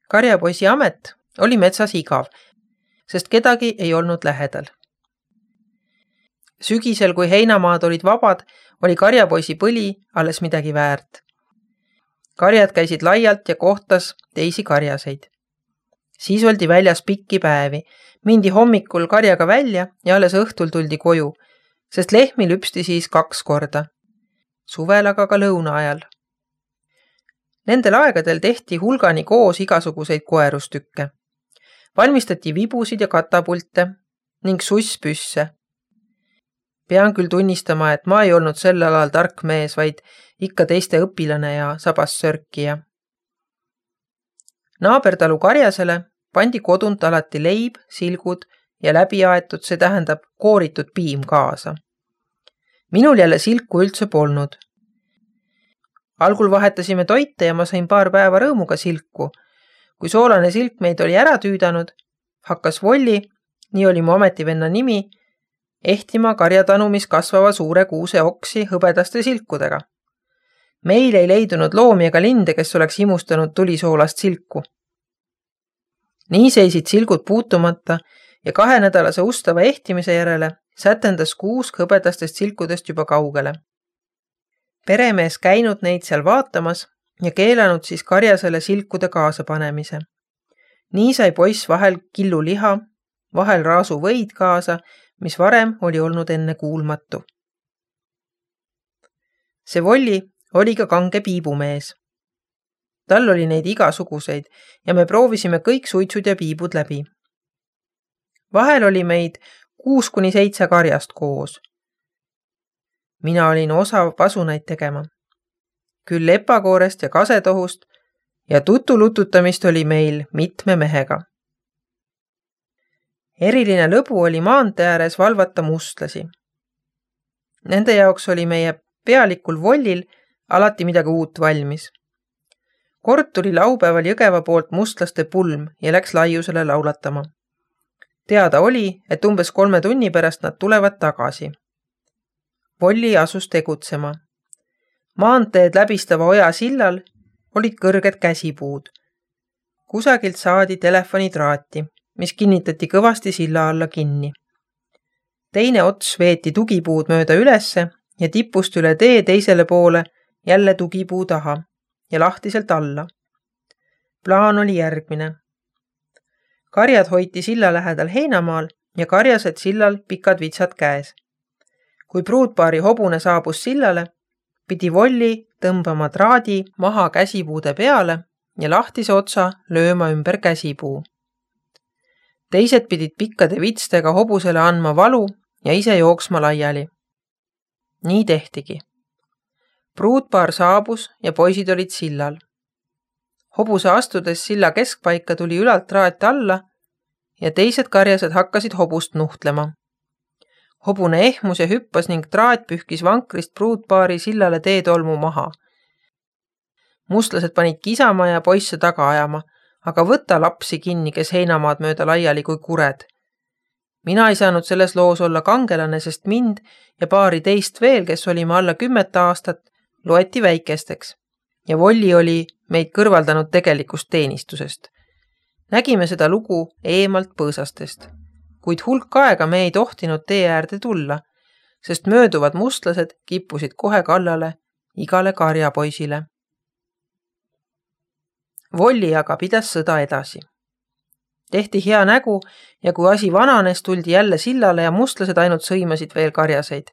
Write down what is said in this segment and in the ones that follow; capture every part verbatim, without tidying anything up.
Karjapoisi amet oli metsas igav, sest kedagi ei olnud lähedal. Sügisel, kui heinamaad olid vabad, oli karjapoisi põli alles midagi väärt. Karjad käisid laialt ja kohtas teisi karjaseid. Siis oldi väljas pikki päevi, mindi hommikul karjaga välja ja alles õhtul tuldi koju, sest lehmi lüpsti siis kaks korda. Suvel aga ka lõuna ajal. Nendel aegadel tehti hulgani koos igasuguseid koerustükke. Valmistati vibusid ja katapulte ning susspüsse. Pean küll tunnistama, et ma ei olnud sel alal tark mees, vaid ikka teiste õpilane ja sabas sörkija. Naabertalu karjasele pandi kodunt alati leib, silgud ja läbiaetud, see tähendab kooritud piim kaasa. Minul jälle silku üldse polnud. Algul vahetasime toite ja ma sain paar päeva rõõmuga silku. Kui soolane silk meid oli ära tüüdanud, hakkas Volli, nii oli mu ametivenna nimi, ehtima karjatanumis kasvava suure kuuse oksi hõbedaste silkudega. Meil ei leidunud loomi ega linde, kes oleks imustanud tulisoolast silku. Nii seisid silgud puutumata ja kahenädalase ustava ehtimise järele sätendas kuusk hõbedastest silkudest juba kaugele. Peremees käinud neid seal vaatamas ja keelanud siis karjasele silkude kaasa panemise. Nii sai poiss vahel killu liha, vahel raasu võid kaasa, mis varem oli olnud enne kuulmatu. See Volli oli ka kange piibumees. Tal oli neid igasuguseid ja me proovisime kõik suitsud ja piibud läbi. Vahel oli meid kuus kuni seitse karjast koos. Mina olin osav pasunaid tegema. Küll lepakoorest ja kasetohust ja tutulututamist oli meil mitme mehega. Eriline lõbu oli maantee ääres valvata mustlasi. Nende jaoks oli meie pealikul Vollil alati midagi uut valmis. Kord tuli laupäeval Jõgeva poolt mustlaste pulm ja läks laiusele laulatama. Teada oli, et umbes kolme tunni pärast nad tulevad tagasi. Volli asus tegutsema. Maanteed läbistava oja sillal olid kõrged käsipuud. Kusagilt saadi telefonitraati, mis kinnitati kõvasti silla alla kinni. Teine ots veeti tugipuud mööda ülesse ja tipust üle tee teisele poole jälle tugipuu taha ja lahtiselt alla. Plaan oli järgmine. Karjad hoiti silla lähedal heinamaal ja karjased sillal pikad vitsad käes. Kui pruutpaari hobune saabus sillale, pidi Volli tõmbama traadi maha käsipuude peale ja lahtise otsa lööma ümber käsipuu. Teised pidid pikkade vitstega hobusele andma valu ja ise jooksma laiali. Nii tehtigi. Pruutpaar saabus ja poisid olid sillal. Hobuse astudes silla keskpaika tuli ülalt traat alla ja teised karjased hakkasid hobust nuhtlema. Hobune ehmus ja hüppas ning traat pühkis vankrist pruutpaari sillale teetolmu maha. Mustlased panid kisama ja poisse taga ajama, aga võta lapsi kinni, kes heinamaad mööda laiali kui kured. Mina ei saanud selles loos olla kangelane, sest mind ja paari teist veel, kes olime alla kümmet aastat, loeti väikesteks ja Volli oli meid kõrvaldanud tegelikust teenistusest. Nägime seda lugu eemalt põõsastest. Kuid hulk aega me ei tohtinud tee äärde tulla, sest mööduvad mustlased kippusid kohe kallale igale karjapoisile. Volli aga pidas sõda edasi. Tehti hea nägu ja kui asi vananes, tuldi jälle sillale ja mustlased ainult sõimasid veel karjaseid.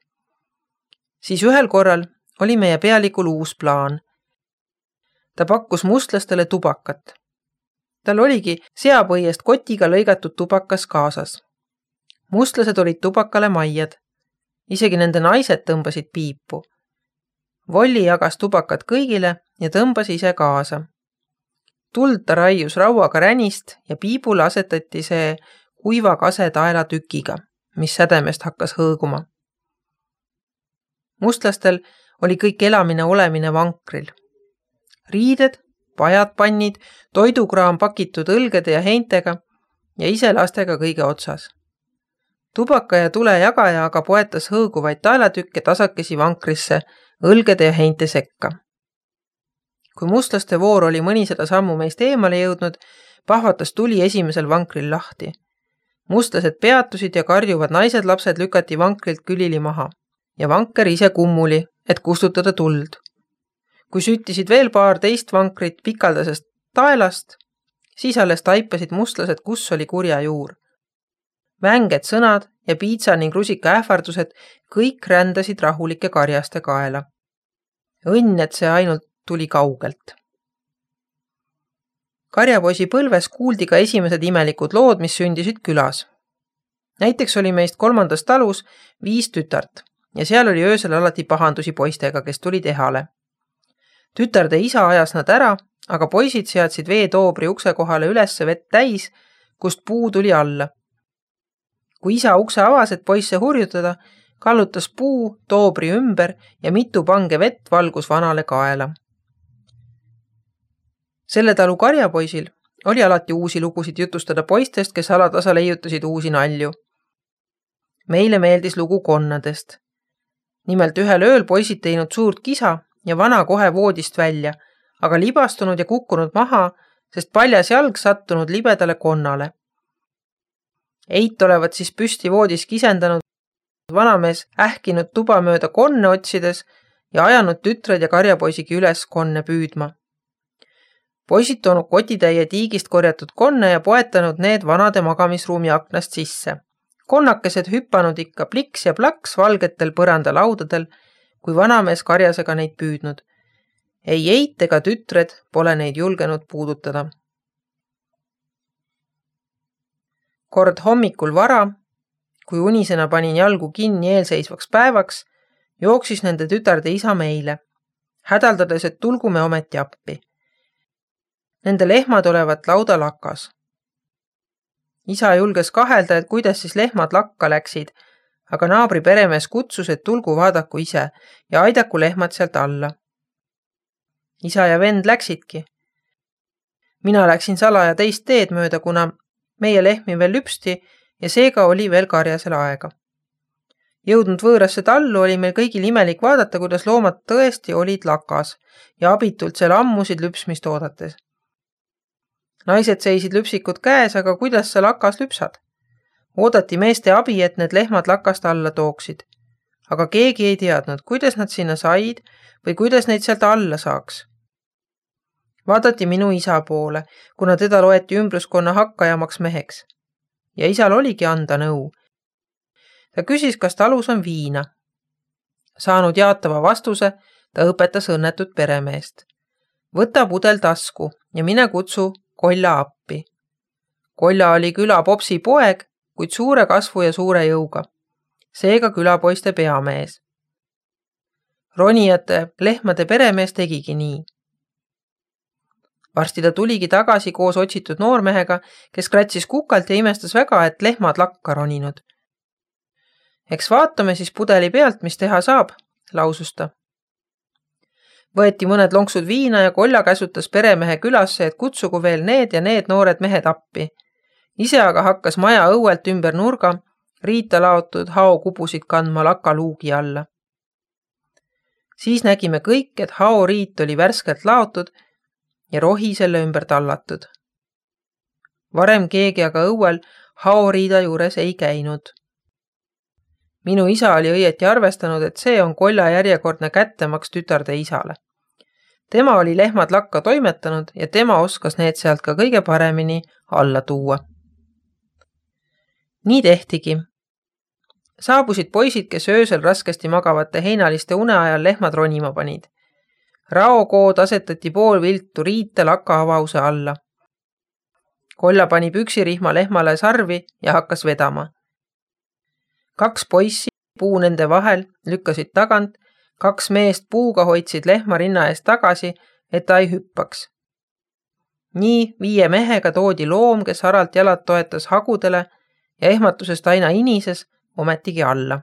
Siis ühel korral oli meie pealikul uus plaan. Ta pakkus mustlastele tubakat. Tal oligi seapõiest kotiga lõigatud tubakas kaasas. Mustlased olid tubakale maiad. Isegi nende naised tõmbasid piipu. Volli jagas tubakat kõigile ja tõmbas ise kaasa. Tuld ta raius rauaga ränist ja piibule asetati see kuiva kase taela tükiga, mis sädemest hakkas hõõguma. Mustlastel oli kõik elamine olemine vankril. Riided, pajad pannid, toidukraam pakitud õlgede ja heintega ja ise lastega kõige otsas. Tubaka ja tule jagaja aga poetas hõõguvaid taelatükke tasakesi vankrisse õlgede ja heinte sekka. Kui mustlaste voor oli mõnisada sammu meist eemale jõudnud, pahvatas tuli esimesel vankril lahti. Mustlased peatusid ja karjuvad naised lapsed lükati vankrilt külili maha ja vanker ise kummuli, et kustutada tuld. Kui süttisid veel paar teist vankrit pikaldasest taelast, siis alles taipasid mustlased, kus oli kurja juur. Vänged sõnad ja piitsa ning rusika ähvardused kõik rändasid rahulike karjaste kaela. Õnn, et see ainult tuli kaugelt. Karjapoisi põlves kuuldi ka esimesed imelikud lood, mis sündisid külas. Näiteks oli meist kolmandas talus viis tütart ja seal oli öösel alati pahandusi poistega, kes tuli tehale. Tütarde isa ajas nad ära, aga poisid seadsid veetoobri ukse kohale ülesse vett täis, kust puu tuli alla. Kui isa ukse avas, et poisse hurjutada, kallutas puu toobri ümber ja mitu pange vett valgus vanale kaela. Selle talu karjapoisil oli alati uusi lugusid jutustada poistest, kes alatasa leiutasid uusi nalju. Meile meeldis lugu konnadest. Nimelt ühel ööl poisid teinud suurt kisa ja vana kohe voodist välja, aga libastunud ja kukkunud maha, sest paljas jalg sattunud libedale konnale. Eit olevat siis püsti voodis kisendanud, vanamees ähkinud tuba mööda konne otsides ja ajanud tütred ja karjapoisigi üles konne püüdma. Poisid toonud kotitäie tiigist korjatud konne ja poetanud need vanade magamisruumi aknast sisse. Konnakesed hüppanud ikka pliks ja plaks valgetel põrandalaudadel, kui vanamees karjasega neid püüdnud. Ei Eit ega tütred pole neid julgenud puudutada. Kord hommikul vara, kui unisena panin jalgu kinni eelseisvaks päevaks, jooksis nende tütarde isa meile, hädaldades, et tulgu me ometi appi. Nende lehmad olevat lauda lakas. Isa julges kahelda, et kuidas siis lehmad lakka läksid, aga naabri peremees kutsus, et tulgu vaadaku ise ja aidaku lehmad sealt alla. Isa ja vend läksidki. Mina läksin salaja teist teed mööda, kuna meie lehmi veel lüpsti ja seega oli veel karjasel aega. Jõudnud võõrasse tallu oli meil kõigil imelik vaadata, kuidas loomad tõesti olid lakas ja abitult seal ammusid lüpsmist oodates. Naised seisid lüpsikud käes, aga kuidas sa lakas lüpsad? Oodati meeste abi, et need lehmad lakast alla tooksid. Aga keegi ei teadnud, kuidas nad sinna said või kuidas neid sealt alla saaks. Vaadati minu isa poole, kuna teda loeti ümbruskonna hakkajamaks meheks. Ja isal oligi anda nõu. Ta küsis, kas talus on viina. Saanud jaatava vastuse, ta õpetas õnnetut peremeest. Võta pudel tasku ja mine kutsu Kolla appi. Kolla oli küla popsi poeg, kuid suure kasvu ja suure jõuga. Seega külapoiste peamees. Ronijate lehmade peremees tegigi nii. Varsti ta tuligi tagasi koos otsitud noormehega, kes kratsis kukalt ja imestas väga, et lehmad lakka roninud. Eks vaatame siis pudeli pealt, mis teha saab, lausus ta. Võeti mõned lonksud viina ja Kolla käsutas peremehe külasse, et kutsugu veel need ja need noored mehed appi. Ise aga hakkas maja õuelt ümber nurga, riita laotud hao kubusid kandma laka luugi alla. Siis nägime kõik, et hao riit oli värskelt laotud ja rohi selle ümber tallatud. Varem keegi aga õuel hao riida juures ei käinud. Minu isa oli õieti arvestanud, et see on Kolla järjekordne kättemaks tütarde isale. Tema oli lehmad lakka toimetanud ja tema oskas need sealt ka kõige paremini alla tuua. Nii tehtigi. Saabusid poisid, kes öösel raskesti magavate heinaliste une ajal lehmad ronima panid. Raokood asetati pool viltu riite laka avause alla. Kolla pani püksirihma lehmale sarvi ja hakkas vedama. Kaks poissi puu nende vahel lükkasid tagant, kaks meest puuga hoidsid lehma rinna eest tagasi, et ta ei hüppaks. Nii viie mehega toodi loom, kes haralt jalad toetas hagudele ja ehmatusest aina inises ometigi alla.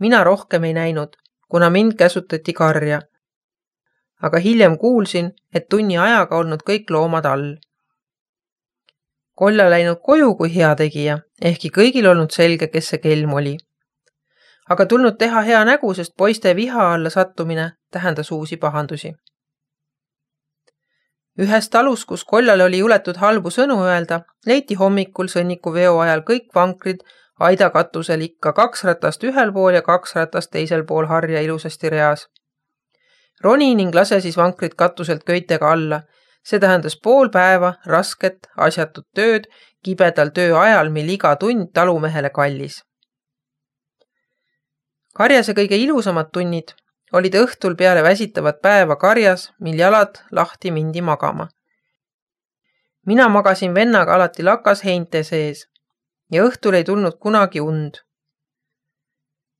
Mina rohkem ei näinud, kuna mind käsutati karja. Aga hiljem kuulsin, et tunni ajaga olnud kõik loomad all. Kolla läinud koju kui hea tegija, ehkki kõigil olnud selge, kes see kelm oli. Aga tulnud teha hea nägu, sest poiste viha alla sattumine tähendas uusi pahandusi. Ühes talus, kus kollale oli juletud halbu sõnu öelda, leiti hommikul sõnniku veo ajal kõik vankrid aidakatusel ikka kaks ratast ühel pool ja kaks ratast teisel pool harja ilusasti reas. Roni ning lase siis vankrid katuselt köitega alla. See tähendas pool päeva, rasket, asjatut tööd, kibedal töö ajal, mil iga tund talumehele kallis. Karjase kõige ilusamad tunnid olid õhtul peale väsitavat päeva karjas, mil jalad lahti mindi magama. Mina magasin vennaga alati lakas heinte sees ja õhtul ei tulnud kunagi und.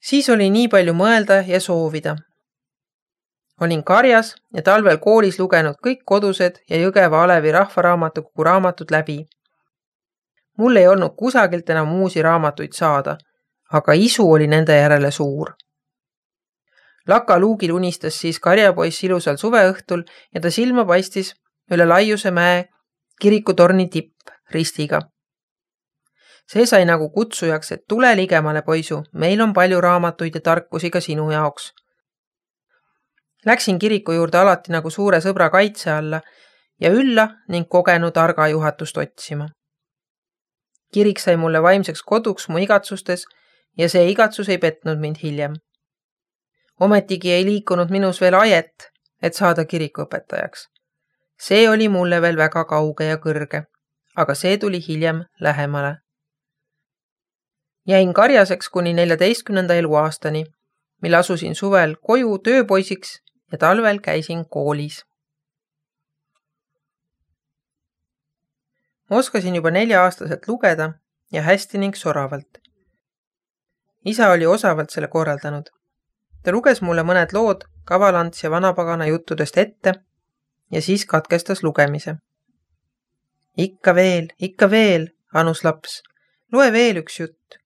Siis oli nii palju mõelda ja soovida. Olin karjas ja talvel koolis lugenud kõik kodused ja Jõgeva Alevi rahvaraamatukogu raamatud läbi. Mul ei olnud kusagilt enam uusi raamatuid saada, aga isu oli nende järele suur. Laka luugil unistas siis karjapoiss ilusal suveõhtul ja ta silma paistis üle Laiuse mäe kirikutorni tipp ristiga. See sai nagu kutsujaks, et tule ligemale, poisu, meil on palju raamatuid ja tarkusi ka sinu jaoks. Läksin kiriku juurde alati nagu suure sõbra kaitse alla ja ülla ning kogenud arga juhatust otsima. Kirik sai mulle vaimseks koduks mu igatsustes ja see igatsus ei petnud mind hiljem. Ometigi ei liikunud minus veel ajet, et saada kirikuõpetajaks. See oli mulle veel väga kauge ja kõrge, aga see tuli hiljem lähemale. Jäin karjaseks kuni neljateistkümnenda eluaastani, mil asusin suvel koju tööpoisiks ja talvel käisin koolis. Oskasin juba nelja-aastaselt lugeda ja hästi ning soravalt. Isa oli osavalt selle korraldanud. Ta luges mulle mõned lood Kavalants ja Vanapagana juttudest ette ja siis katkestas lugemise. Ikka veel, ikka veel, anus laps, loe veel üks jutt.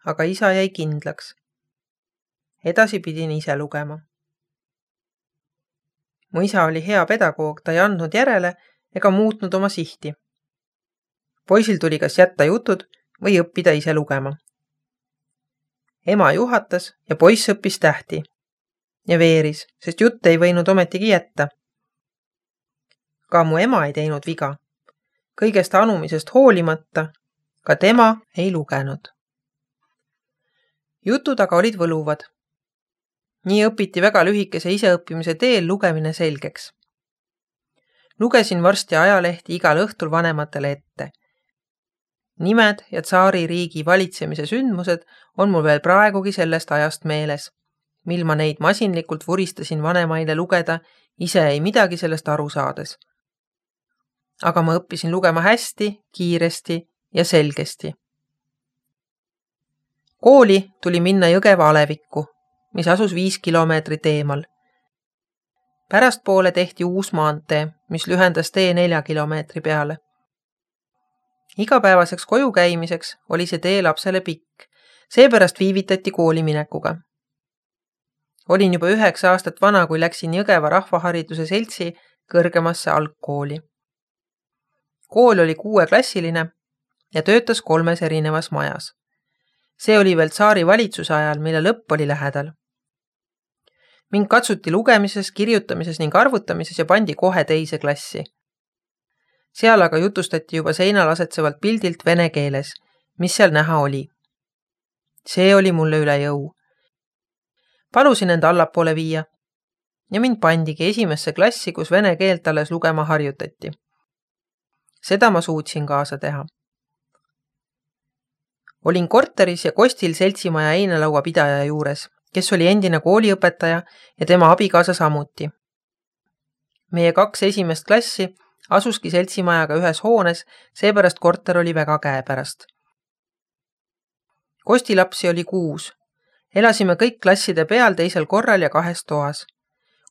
Aga isa jäi kindlaks. Edasi pidin ise lugema. Mu isa oli hea pedagoog, ta ei andnud järele ega muutnud oma sihti. Poisil tuli kas jätta jutud või õppida ise lugema. Ema juhatas ja poiss õppis tähti ja veeris, sest jutt ei võinud ometigi jätta. Ka mu ema ei teinud viga. Kõigest anumisest hoolimata, ka tema ei lugenud. Jutud aga olid võluvad. Nii õpiti väga lühikese iseõppimise teel lugemine selgeks. Lugesin varsti ajalehti igal õhtul vanematele ette. Nimed ja tsaari riigi valitsemise sündmused on mul veel praegugi sellest ajast meeles, mil ma neid masinlikult vuristasin vanemaile lugeda, ise ei midagi sellest aru saades. Aga ma õppisin lugema hästi, kiiresti ja selgesti. Kooli tuli minna Jõgeva Alevikku, mis asus viis kilomeetrit eemal. Pärastpoole tehti uus maantee, mis lühendas tee nelja kilomeetri peale. Igapäevaseks koju käimiseks oli see tee lapsele pikk, seepärast viivitati kooli minekuga. Olin juba üheksa aastat vana, kui läksin Jõgeva rahvahariduse seltsi kõrgemasse algkooli. Kool oli kuueklassiline ja töötas kolmes erinevas majas. See oli veel tsaari valitsuse ajal, mille lõpp oli lähedal. Mind katsuti lugemises, kirjutamises ning arvutamises ja pandi kohe teise klassi. Seal aga jutustati juba seinal asetsevalt pildilt vene keeles, mis seal näha oli. See oli mulle üle jõu. Palusin enda allapoole viia ja mind pandigi esimesse klassi, kus vene keelt alles lugema harjutati. Seda ma suutsin kaasa teha. Olin korteris ja Kostil seltsimaja einelaua pidaja juures, kes oli endine kooliõpetaja ja tema abikaasa samuti. Meie kaks esimest klassi asuski seltsimajaga ühes hoones, seepärast korter oli väga käepärast. Kosti lapsi oli kuus. Elasime kõik klasside peal teisel korral ja kahes toas.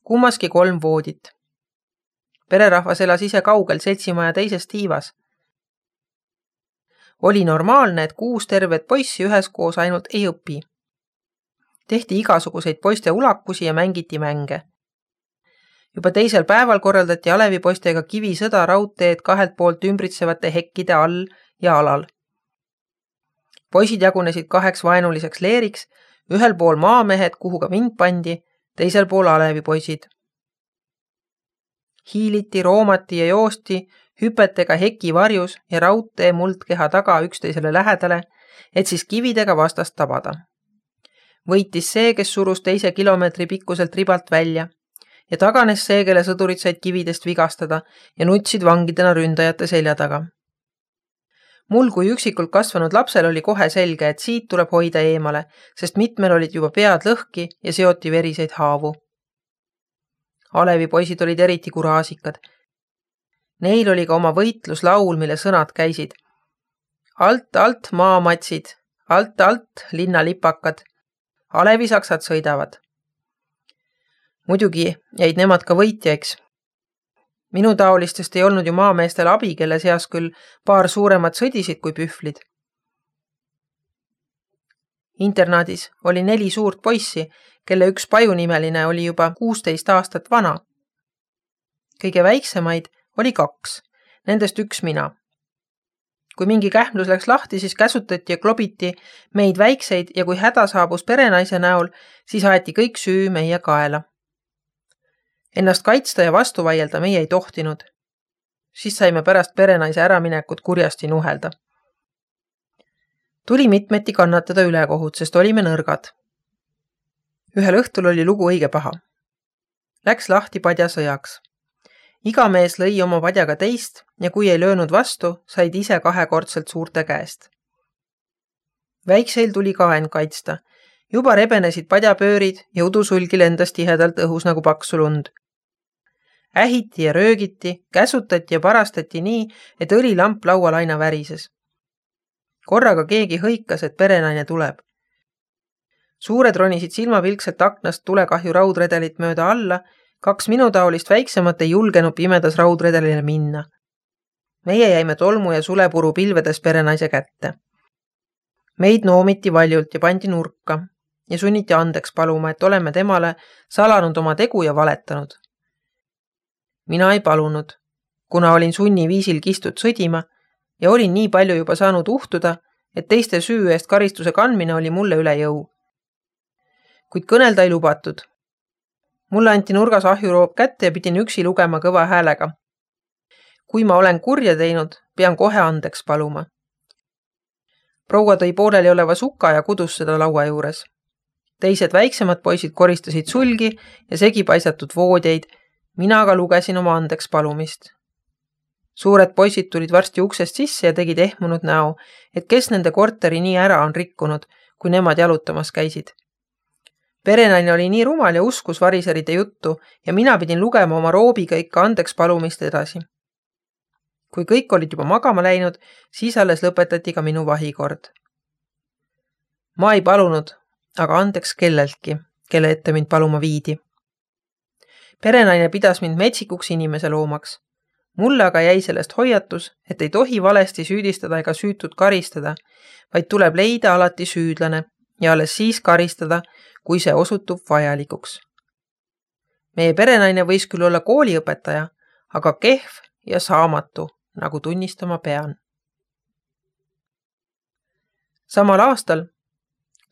Kummaski kolm voodit. Pererahvas elas ise kaugel seltsimaja teises tiivas. Oli normaalne, et kuus tervet poissi üheskoos ainult ei õpi. Tehti igasuguseid poiste ulakusi ja mängiti mänge. Juba teisel päeval korraldati alevipoistega kivisõda raudteed kahelt poolt ümbritsevate hekkide all ja alal. Poisid jagunesid kaheks vaenuliseks leeriks, ühel pool maamehed, kuhu ka mind pandi, teisel pool alevipoisid. hiiliti, roomati ja joosti hüpetega heki varjus ja raudtee muldkeha taga üksteisele lähedale, et siis kividega vastast tabada. Võitis see, kes surus teise kilomeetri pikkuselt ribalt välja ja taganes see, kelle sõdurid said kividest vigastada ja nutsid vangidena ründajate selja taga. Mul kui üksikult kasvanud lapsel oli kohe selge, et siit tuleb hoida eemale, sest mitmel olid juba pead lõhki ja seoti veriseid haavu. Alevi poisid olid eriti kuraasikad. Neil oli ka oma võitluslaul, mille sõnad käisid. Alt, alt maamatsid, alt, alt linnalipakad. Alevi saksad sõidavad. Muidugi jäid nemad ka võitjaiks. Minu taolistest ei olnud ju maameestel abi, kelle seas küll paar suuremat sõdisid kui pühvlid. Internaadis oli neli suurt poissi, kelle üks pajunimeline oli juba kuusteist aastat vana. Kõige väiksemaid oli kaks, nendest üks mina. Kui mingi kähmlus läks lahti, siis käsutati ja klobiti meid väikseid ja kui häda saabus perenaise näol, siis aeti kõik süü meie kaela. Ennast kaitsta ja vastu vaielda meie ei tohtinud. Siis saime pärast perenaise äraminekut kurjasti nuhelda. Tuli mitmeti kannatada ülekohut, sest olime nõrgad. Ühel õhtul oli lugu õige paha. Läks lahti padjasõjaks. Iga mees lõi oma padjaga teist ja kui ei löönud vastu, said ise kahekordselt suurte käest. Väikseil tuli ka end kaitsta. Juba rebenesid padjapöörid ja udusulgi lendas tihedalt õhus nagu paksu lund. Ähiti ja röögiti, käsutati ja parastati nii, et õlilamp laual aina värises. Korraga keegi hõikas, et perenaine tuleb. Suured ronisid silmapilkselt aknast tulekahju raudredelit mööda alla, kaks minutaolist väiksemat ei julgenud pimedas raudredelile minna. Meie jäime tolmu ja sulepuru pilvedes perenaise kätte. Meid noomiti valjult ja pandi nurka ja sunniti andeks paluma, et oleme temale salanud oma tegu ja valetanud. Mina ei palunud, kuna olin sunni viisil kistud sõdima ja olin nii palju juba saanud uhtuda, et teiste süü eest karistuse kandmine oli mulle üle jõu. Kuid kõnelda ei lubatud. Mulle anti nurgas ahjuroop kätte ja pidin üksi lugema kõva häälega. Kui ma olen kurja teinud, pean kohe andeks paluma. Proua tõi pooleli oleva suka ja kudus seda laua juures. Teised väiksemad poisid koristasid sulgi ja segi paisatud voodjeid, mina aga lugesin oma andeks palumist. Suured poisid tulid varsti uksest sisse ja tegid ehmunud näo, et kes nende korteri nii ära on rikkunud, kui nemad jalutamas käisid. Perenaine oli nii rumal ja uskus variseride juttu ja mina pidin lugema oma roobiga ikka andeks palumist edasi. Kui kõik olid juba magama läinud, siis alles lõpetati ka minu vahikord. Ma ei palunud, aga andeks kelleltki, kelle ette mind paluma viidi. Perenaine pidas mind metsikuks inimese loomaks. Mulle aga jäi sellest hoiatus, et ei tohi valesti süüdistada ega süütud karistada, vaid tuleb leida alati süüdlane ja alles siis karistada, kui see osutub vajalikuks. Meie perenaine võis küll olla kooliõpetaja, aga kehv ja saamatu, nagu tunnistama pean. Samal aastal,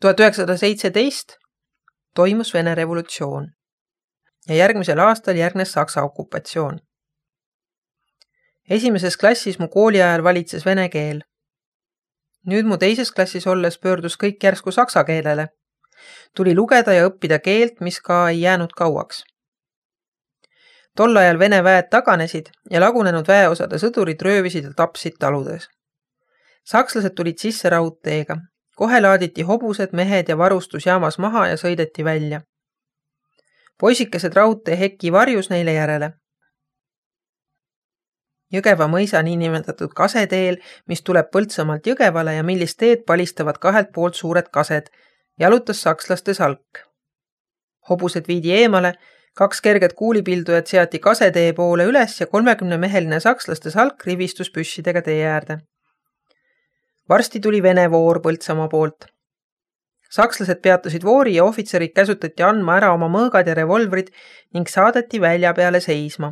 tuhat üheksasada seitseteist, toimus Vene revolutsioon ja järgmisel aastal järgnes Saksa okupatsioon. Esimeses klassis mu kooli ajal valitses vene keel. Nüüd mu teises klassis olles pöördus kõik järsku saksa keelele. Tuli lugeda ja õppida keelt, mis ka ei jäänud kauaks. Tol ajal vene väed taganesid ja lagunenud väeosade sõdurid röövisid ja tapsid taludes. Sakslased tulid sisse raudteega. Kohe laaditi hobused, mehed ja varustus jaamas maha ja sõideti välja. Poisikesed raudtee heki varjus neile järele. Jõgeva mõisa niinimetatud kaseteel, mis tuleb Põltsamaalt Jõgevale ja millist teed palistavad kahelt poolt suured kased, jalutas sakslaste salk. Hobused viidi eemale, kaks kerget kuulipildujat seati kasetee poole üles ja kolmekümne meheline sakslaste salk rivistus püssidega tee äärde. Varsti tuli Vene voor Põltsamaa poolt. Sakslased peatasid voori ja ohvitserid käsutati andma ära oma mõõgad ja revolvrid ning saadeti välja peale seisma.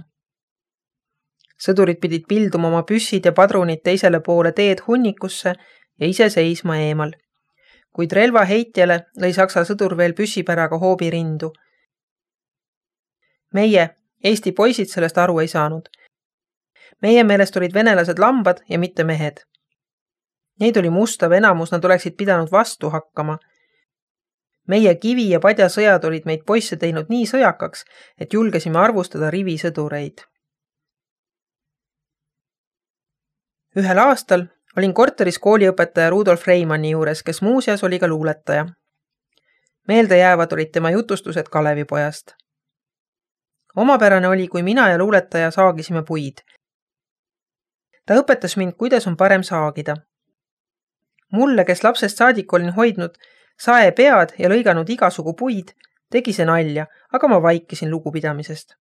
Sõdurid pidid pilduma oma püssid ja padrunid teisele poole teed hunnikusse ja ise seisma eemal. Kuid relva heitjale lõi saksa sõdur veel püssipäraga hoobi rindu. Meie Eesti poisid sellest aru ei saanud. Meie meelest olid venelased lambad ja mitte mehed. Neid oli mustav enamus, nad oleksid pidanud vastu hakkama. Meie kivi- ja padjasõjad olid meid poisse teinud nii sõjakaks, et julgesime arvustada rivisõdureid. Ühel aastal olin korteris kooliõpetaja Rudolf Reimanni juures, kes muuseas oli ka luuletaja. Meelde jäävad olid tema jutustused Kalevipojast. Omapärane oli, kui mina ja luuletaja saagisime puid. Ta õpetas mind, kuidas on parem saagida. Mulle, kes lapsest saadik olin hoidnud sae pead ja lõiganud igasugu puid, tegi see nalja, aga ma vaikisin lugupidamisest.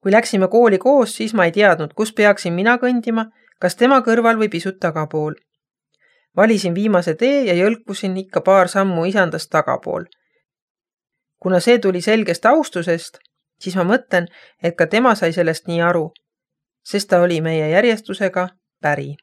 Kui läksime kooli koos, siis ma ei teadnud, kus peaksin mina kõndima, kas tema kõrval või pisut tagapool. Valisin viimase tee ja jõlkusin ikka paar sammu isandast tagapool. Kuna see tuli selgest austusest, siis ma mõtlen, et ka tema sai sellest nii aru, sest ta oli meie järjestusega päri.